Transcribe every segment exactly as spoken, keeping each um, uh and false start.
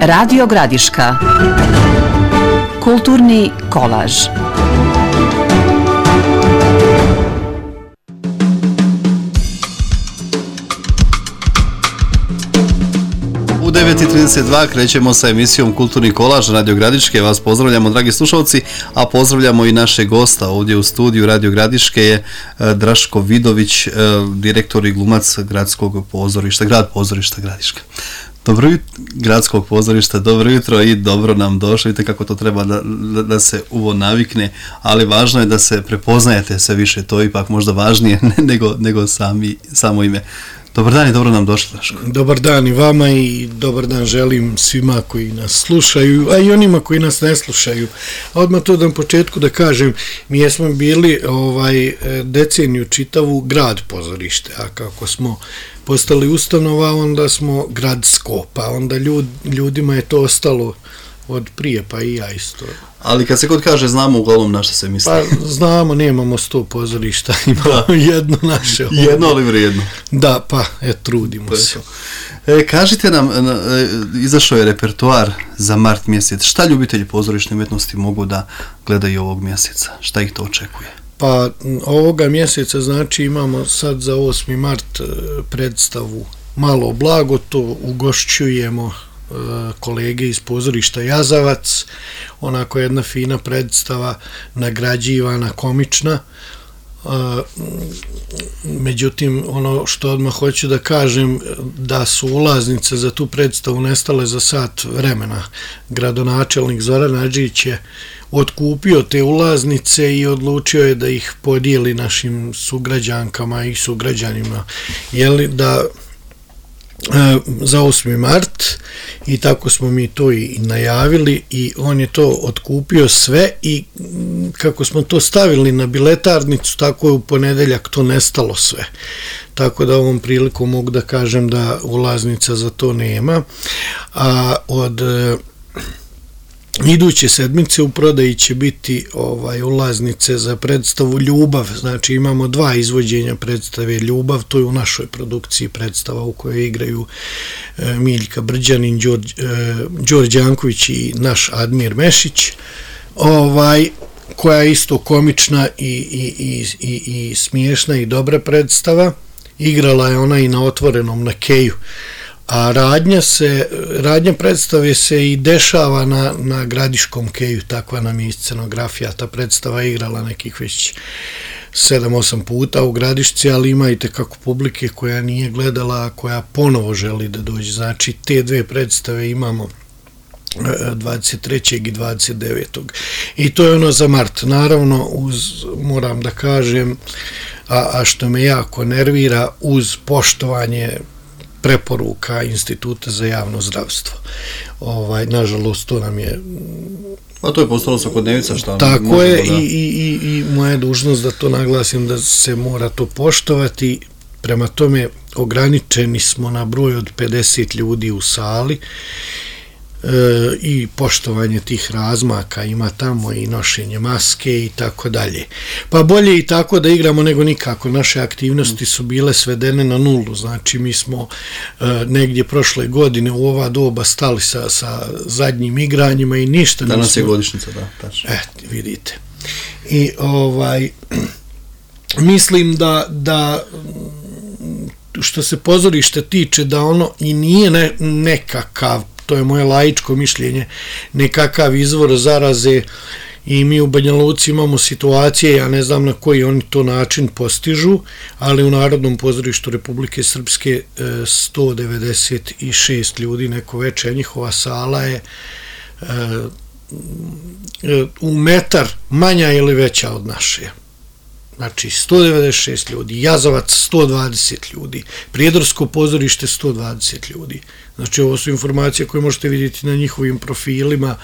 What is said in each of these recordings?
Radio Gradiška. Kulturni kolaž. U devet i trideset dva krećemo sa emisijom Kulturni kolaž Radio Gradiške. Vas pozdravljamo, dragi slušalci, a pozdravljamo i naše gosta ovdje u studiju Radio Gradiške je Draško Vidović, direktor i glumac gradskog pozorišta, grad pozorišta Gradiška. Dobro jutro, gradskog pozorišta, dobro jutro i dobro nam došli. Vidite kako to treba da, da, da se uvo navikne, ali važno je da se prepoznajete sve više, to je ipak možda važnije nego, nego sami, samo ime. Dobar dan i dobro nam došli, Draško. Dobar dan i vama i dobar dan želim svima koji nas slušaju, a i onima koji nas ne slušaju. A odmah to da na početku da kažem, mi jesmo bili ovaj deceniju čitavu grad pozorište, a kako smo postali ustanova, onda smo gradsko, pa onda ljud, ljudima je to ostalo od prije, pa i ja isto. Ali kad se god kaže znamo uglavnom na što se misli. Pa znamo, nemamo sto pozorišta, imamo jedno naše. Ovdje. Jedno ali vrijedno. Da, pa e, trudimo se. E, kažite nam, e, izašao je repertoar za mart mjesec. Šta ljubitelji pozorišne umjetnosti mogu da gledaju ovog mjeseca? Šta ih to očekuje? Pa ovoga mjeseca znači imamo sad za osmi mart predstavu Malo blago, to ugošćujemo kolege iz pozorišta Jazavac, onako jedna fina predstava, nagrađivana, komična. Međutim, ono što odmah hoću da kažem, da su ulaznice za tu predstavu nestale za sat vremena. Gradonačelnik Zoran Adžić je otkupio te ulaznice i odlučio je da ih podijeli našim sugrađankama i sugrađanima, jeli, da za osmi mart, i tako smo mi to i najavili i on je to otkupio sve i kako smo to stavili na biletarnicu, tako je u ponedeljak to nestalo sve. Tako da ovom prilikom mogu da kažem da ulaznica za to nema. A od iduće sedmice u prodaji će biti ovaj ulaznice za predstavu Ljubav, znači imamo dva izvođenja predstave Ljubav, to je u našoj produkciji predstava u kojoj igraju e, Miljka Brđanin, Đorđe, e, Đorđe Janković i naš Admir Mešić, ovaj, koja je isto komična i, i, i, i, i smiješna i dobra predstava. Igrala je ona i na Otvorenom na Keju. A radnja se, radnja predstave se i dešava na, na Gradiškom Keju, takva nam je scenografija. Ta predstava je igrala nekih već sedam osam puta u Gradišci, ali ima i tekako publike koja nije gledala, a koja ponovo želi da dođe. Znači, te dve predstave imamo dvadeset trećeg i dvadeset devetog I to je ono za mart. Naravno, uz, moram da kažem, a, a što me jako nervira, uz poštovanje preporuka Instituta za javno zdravstvo. Ovaj, nažalost, to nam je... A to je postalo svakodnevica, šta? Tako je, da... i, i, i moja je dužnost da to naglasim, da se mora to poštovati. Prema tome, ograničeni smo na broj od pedeset ljudi u sali e, i poštovanje tih razmaka ima tamo i nošenje maske i tako dalje. Pa bolje i tako da igramo nego nikako. Naše aktivnosti su bile svedene na nulu, znači mi smo e, negdje prošle godine u ova doba stali sa, sa zadnjim igranjima i ništa. Danas nismo... je godišnjica, da, tačno. E, vidite. I ovaj, mislim da, da što se pozorište tiče, da ono i nije ne, nekakav, to je moje laičko mišljenje, nekakav izvor zaraze, i mi u Banja Luci imamo situacije, ja ne znam na koji oni to način postižu, ali u Narodnom pozorištu Republike Srpske sto devedeset šest ljudi neko večer, njihova sala je u metar manja ili veća od naše. Znači sto devedeset šest ljudi, Jazavac sto dvadeset ljudi, Prijedorsko pozorište sto dvadeset ljudi. Znači ovo su informacije koje možete vidjeti na njihovim profilima,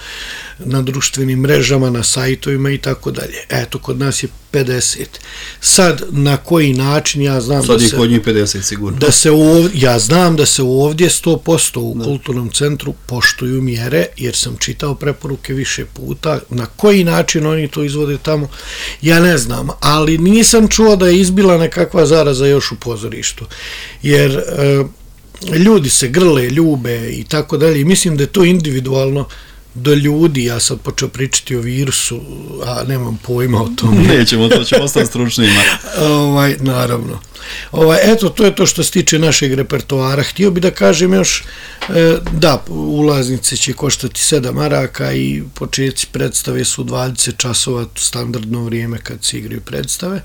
na društvenim mrežama, na sajtovima i tako dalje. Eto, kod nas je pedeset. Sad, na koji način, ja znam Sad da je se... kod njih pedeset sigurno. Da se ovdje, ja znam da se ovdje sto posto u da. Kulturnom centru poštuju mjere, jer sam čitao preporuke više puta. Na koji način oni to izvode tamo, ja ne znam. Ali nisam čuo da je izbila nekakva zaraza još u pozorištu. Jer... E, ljudi se grle, ljube i tako dalje. Mislim da je to individualno do ljudi. Ja sad počeo pričati o virusu, a nemam pojma o tome. Nećemo, to ćemo ostati stručnima. ovaj, naravno. Ovaj, eto, to je to što se tiče našeg repertoara. Htio bi da kažem još, e, da, ulaznice će koštati sedam maraka i početci predstave su dvadeset časova, standardno vrijeme kad se igraju predstave.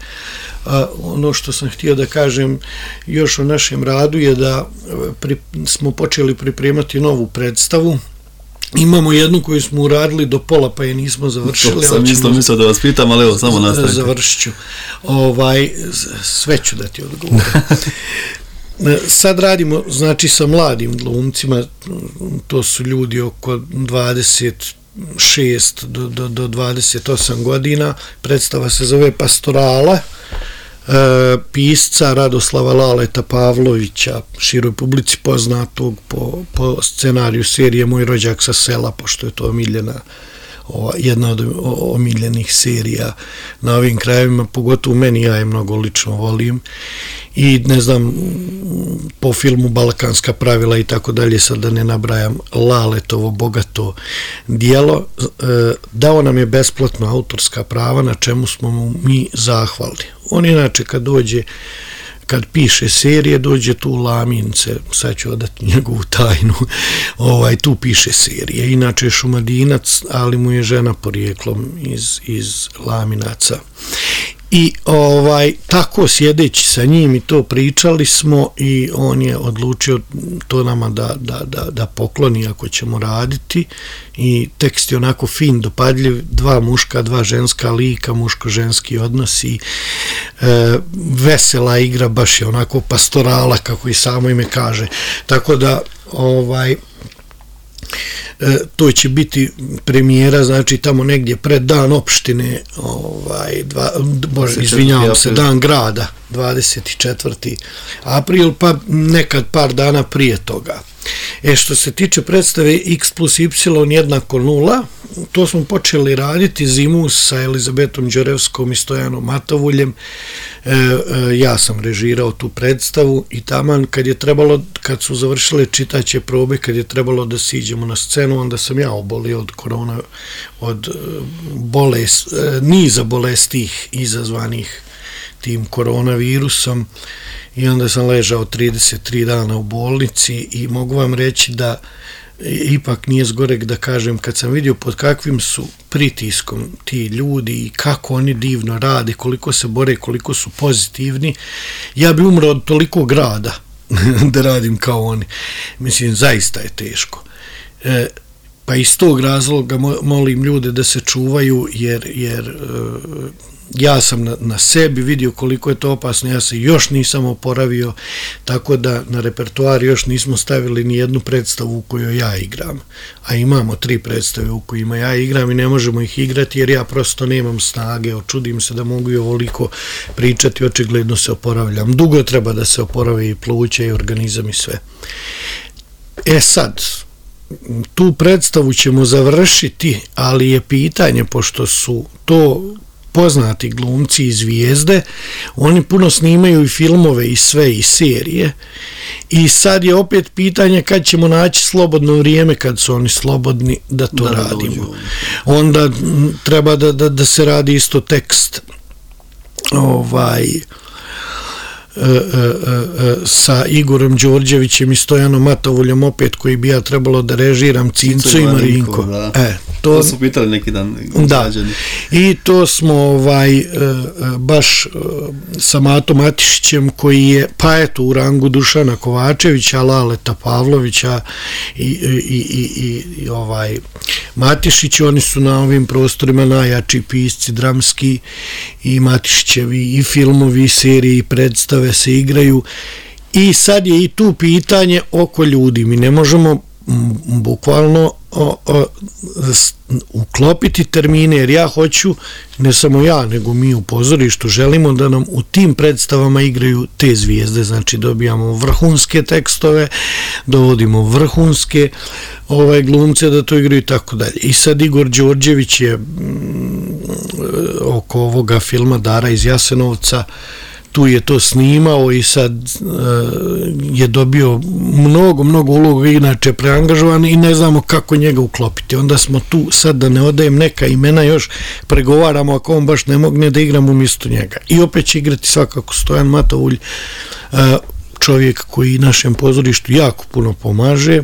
A, ono što sam htio da kažem još o našem radu je da pri, smo počeli pripremati novu predstavu. Imamo jednu koju smo uradili do pola, pa je nismo završili. To sam isto mislio da vas pitam, ali evo, samo nastavite. Završit ću. Ovaj, sve ću da ti odgovorim. Sad radimo, znači, sa mladim glumcima, to su ljudi oko dvadeset šest do, do, do dvadeset osam godina. Predstava se zove Pastorala, pisca Radoslava Laleta Pavlovića, široj publici poznatog po, po scenariju serije Moj rođak sa sela, pošto je to omiljena, ova, jedna od omiljenih serija na ovim krajevima, pogotovo meni, ja je mnogo lično volim i ne znam, po filmu Balkanska pravila i tako dalje, sad da ne nabrajam Laletovo bogato dijelo, dao nam je besplatno autorska prava, na čemu smo mu mi zahvalni. On inače kad dođe, kad piše serije, dođe tu u Lamince, sad ću odati njegovu tajnu, ovaj, tu piše serije. Inače je Šumadinac, ali mu je žena porijeklom iz, iz Laminaca. I ovaj, tako sjedeći sa njim i to pričali smo i on je odlučio to nama da, da, da, da pokloni ako ćemo raditi i tekst je onako fin, dopadljiv, dva muška, dva ženska lika, muško-ženski odnosi, e, vesela igra, baš je onako pastorala kako i samo ime kaže. Tako da ovaj to će biti premijera, znači tamo negdje pred dan opštine, ovaj, dva, bože, izvinjavam se, dan grada, dvadeset četvrti april, pa nekad par dana prije toga. E, što se tiče predstave X plus Y jednako nula, to smo počeli raditi zimu sa Elizabetom Đorevskom i Stojanom Matovuljem. E, e, ja sam režirao tu predstavu i taman kad je trebalo, kad su završile čitaće probe, kad je trebalo da siđemo na scenu, onda sam ja obolio od korona, od bolest, niza bolestih izazvanih tim koronavirusom i onda sam ležao trideset tri dana u bolnici i mogu vam reći da ipak nije zgorek da kažem, kad sam vidio pod kakvim su pritiskom ti ljudi i kako oni divno rade, koliko se bore, koliko su pozitivni, ja bi umro od toliko grada da radim kao oni. Mislim, zaista je teško. E, pa iz tog razloga molim ljude da se čuvaju, jer, jer ja sam na, na sebi vidio koliko je to opasno, ja se još nisam oporavio, tako da na repertoar još nismo stavili ni jednu predstavu u kojoj ja igram, a imamo tri predstave u kojima ja igram i ne možemo ih igrati jer ja prosto nemam snage, očudim se da mogu i ovoliko pričati, očigledno se oporavljam, dugo treba da se oporave i pluća i organizam i sve. E sad, tu predstavu ćemo završiti, ali je pitanje, pošto su to poznati glumci i zvijezde, oni puno snimaju i filmove i sve i serije i sad je opet pitanje kad ćemo naći slobodno vrijeme, kad su oni slobodni da to da radimo. Dođu. Onda treba da, da, da se radi isto tekst ovaj E, e, e, sa Igorom Đorđevićem i Stojanom Matovuljom opet, koji bi ja trebalo da režiram, Cinco i Marinko. E, to, to su pitali neki dan. Da, i to smo ovaj, e, baš e, sa Matom Matišićem, koji je pa eto u rangu Dušana Kovačevića, Laleta Pavlovića i, i, i, i, i ovaj Matišić, oni su na ovim prostorima najjači pisci dramski i Matišićevi i filmovi, i serije i predstave se igraju i sad je i tu pitanje oko ljudi. Mi ne možemo bukvalno o, o, s, uklopiti termine, jer ja hoću, ne samo ja, nego mi u pozorištu želimo da nam u tim predstavama igraju te zvijezde, znači dobijamo vrhunske tekstove, dovodimo vrhunske ovaj, glumce da to igraju i tako dalje. I sad Igor Đorđević je m, oko ovoga filma Dara iz Jasenovca tu je to snimao i sad je dobio mnogo, mnogo uloga, inače preangažovan i ne znamo kako njega uklopiti. Onda smo tu, sad da ne odajem neka imena, još pregovaramo ako on baš ne mogne da igram umjesto njega. I opet će igrati svakako Stojan Matovulj, čovjek koji našem pozorištu jako puno pomaže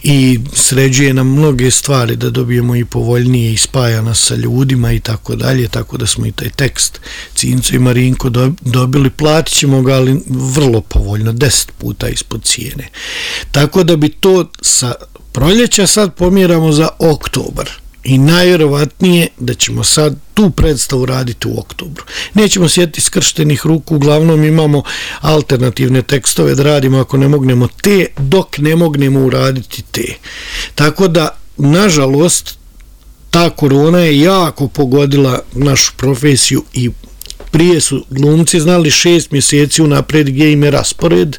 i sređuje nam mnoge stvari da dobijemo i povoljnije i spaja nas sa ljudima i tako dalje, tako da smo i taj tekst Cinco i Marinko dobili, platit ćemo ga, ali vrlo povoljno, deset puta ispod cijene. Tako da bi to sa proljeća sad pomjeramo za oktobar. I najvjerovatnije da ćemo sad tu predstavu raditi u oktobru. Nećemo sjetiti skrštenih ruku, uglavnom imamo alternativne tekstove da radimo ako ne mognemo te, dok ne mognemo uraditi te. Tako da, nažalost, ta korona je jako pogodila našu profesiju i prije su glumci znali šest mjeseci unapred gdje im je raspored,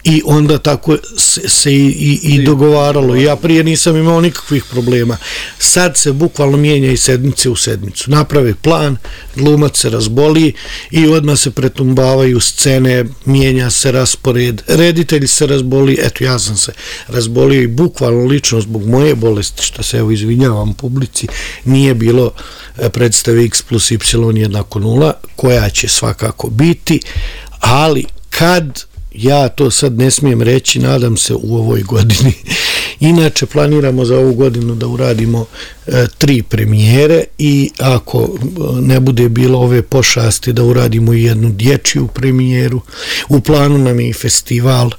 i onda tako se, se i, i, i dogovaralo. Ja prije nisam imao nikakvih problema. Sad se bukvalno mijenja i sedmice u sedmicu. Naprave plan, glumac se razboli i odmah se pretumbavaju scene, mijenja se raspored, reditelj se razboli, eto ja sam se razbolio i bukvalno lično zbog moje bolesti, što se evo izvinjavam publici, nije bilo predstave X plus Y jednako nula, koja će svakako biti, ali kad ja to sad ne smijem reći, nadam se u ovoj godini. Inače, planiramo za ovu godinu da uradimo e, tri premijere i ako ne bude bilo ove pošasti da uradimo i jednu dječju premijeru. U planu nam je i festival,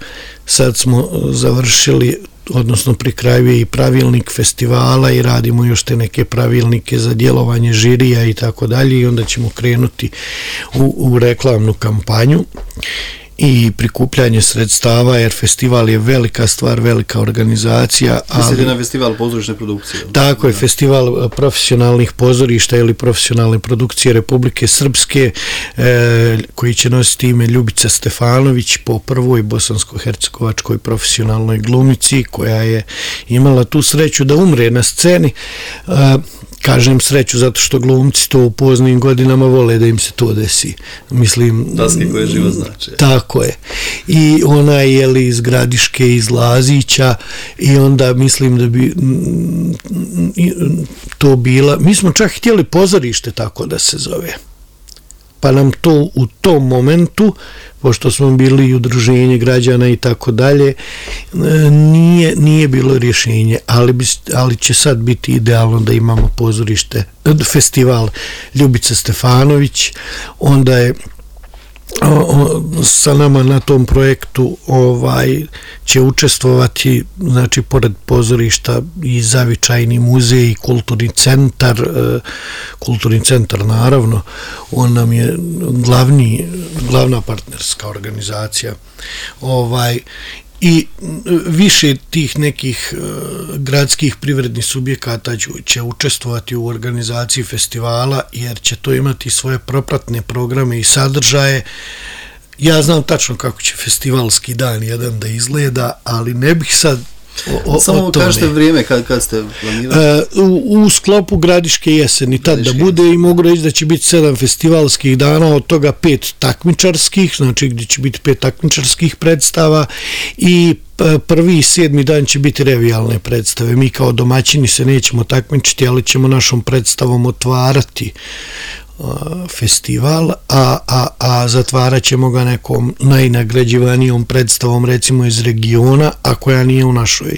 sad smo završili, odnosno pri kraju je i pravilnik festivala i radimo još te neke pravilnike za djelovanje žirija i tako dalje i onda ćemo krenuti u, u reklamnu kampanju i prikupljanje sredstava, jer festival je velika stvar, velika organizacija. Mislite na festival pozorišne produkcije? Tako je, festival profesionalnih pozorišta ili profesionalne produkcije Republike Srpske, e, koji će nositi ime Ljubica Stefanović po prvoj bosansko-hercegovačkoj profesionalnoj glumici, koja je imala tu sreću da umre na sceni. E, kažem sreću zato što glumci to u poznim godinama vole da im se to desi. Mislim, daske koje živo znače. Tako je. I ona je li iz Gradiške, iz Lazića i onda mislim da bi to bila, mi smo čak htjeli pozorište tako da se zove. Pa nam to u tom momentu, pošto smo bili i udruženje građana i tako dalje, nije, nije bilo rješenje, ali, bi, ali će sad biti idealno da imamo pozorište, festival Ljubica Stefanović, onda je o, o, sa nama na tom projektu ovaj će učestvovati, znači pored pozorišta i Zavičajni muzej i kulturni centar, e, kulturni centar naravno, on nam je glavni, glavna partnerska organizacija, ovaj i više tih nekih uh, gradskih privrednih subjekata će učestvovati u organizaciji festivala, jer će to imati svoje propratne programe i sadržaje. Ja znam tačno kako će festivalski dan jedan da izgleda, ali ne bih sad o, o, samo o tome. kažete vrijeme kad, kad ste planirali? Uh, u, u sklopu Gradiške jeseni, tad da bude, i mogu reći da će biti sedam festivalskih dana, od toga pet takmičarskih, znači gdje će biti pet takmičarskih predstava i prvi i sedmi dan će biti revijalne predstave. Mi kao domaćini se nećemo takmičiti, ali ćemo našom predstavom otvarati festival, a, a, a zatvarat ćemo ga nekom najnagrađivanijom predstavom, recimo iz regiona, a koja nije u našoj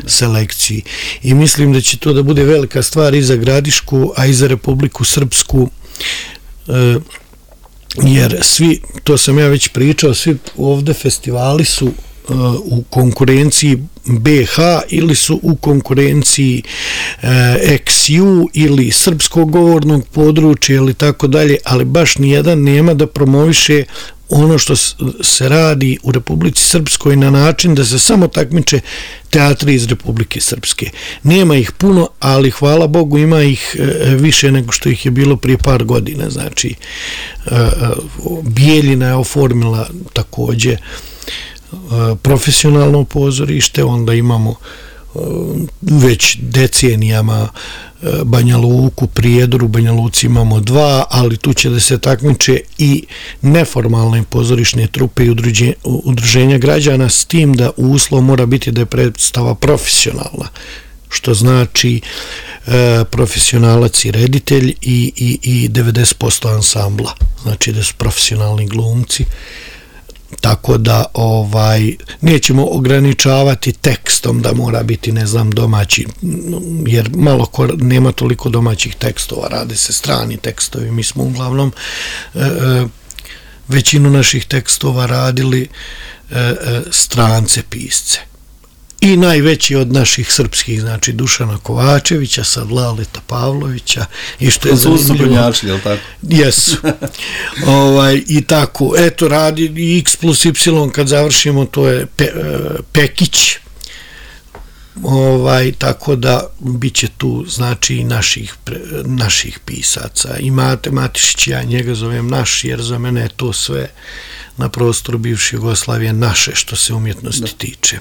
selekciji. I mislim da će to da bude velika stvar i za Gradišku, a i za Republiku Srpsku, e, jer svi, to sam ja već pričao, svi ovde festivali su u konkurenciji B H ili su u konkurenciji X U ili srpskog govornog područja ili tako dalje, ali baš nijedan nema da promoviše ono što se radi u Republici Srpskoj na način da se samo takmiče teatri iz Republike Srpske. Nema ih puno, ali hvala Bogu ima ih više nego što ih je bilo prije par godina. Znači, Bijeljina je oformila također profesionalno pozorište, onda imamo već decenijama Banja Luku, Prijedoru, Banja Luci imamo dva, ali tu će da se takmiče i neformalne pozorišne trupe i udruženja građana, s tim da uslov mora biti da je predstava profesionalna, što znači e, profesionalac i reditelj i, i, i devedeset posto ansambla, znači da su profesionalni glumci. Tako da ovaj nećemo ograničavati tekstom da mora biti, ne znam, domaći, jer malo ko nema toliko domaćih tekstova, rade se strani tekstovi. Mi smo uglavnom e, većinu naših tekstova radili e, e, strance pisce. I najveći od naših srpskih, znači Dušana Kovačevića, sad Laleta Pavlovića, i što je zanimljivo. Jel tako? Jesu. ovaj, I tako, eto, radi X plus Y, kad završimo, to je Pe, Pekić, ovaj, tako da bit će tu, znači, i naših, naših pisaca. I Mate Matišić, ja njega zovem naš, jer za mene je to sve na prostoru bivše Jugoslavije naše, što se umjetnosti da. tiče.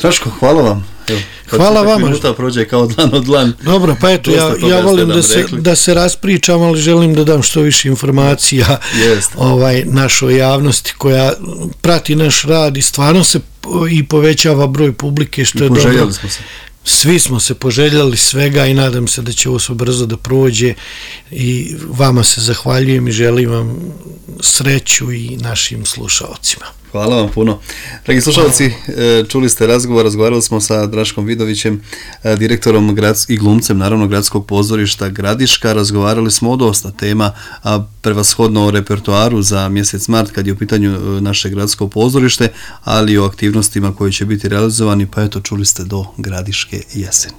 Draško, hvala vam. Evo, hvala vama. Minuta prođe kao dlan od dlan. Dobro, pa eto, ja, ja volim da se, da se raspričam, ali želim da dam što više informacija ovaj, našoj javnosti koja prati naš rad i stvarno se i povećava broj publike, što I je dobro. Smo se. Svi smo se poželjeli svega i nadam se da će ovo sve brzo da prođe i vama se zahvaljujem i želim vam sreću i našim slušalcima. Hvala vam puno. Dragi slušalci, čuli ste razgovor, razgovarali smo sa Draškom Vidovićem, direktorom i glumcem, naravno, Gradskog pozorišta Gradiška. Razgovarali smo o dosta tema, a prevashodno o repertoaru za mjesec mart, kad je u pitanju naše gradsko pozorište, ali i o aktivnostima koje će biti realizovani, pa eto, čuli ste do Gradiške jeseni.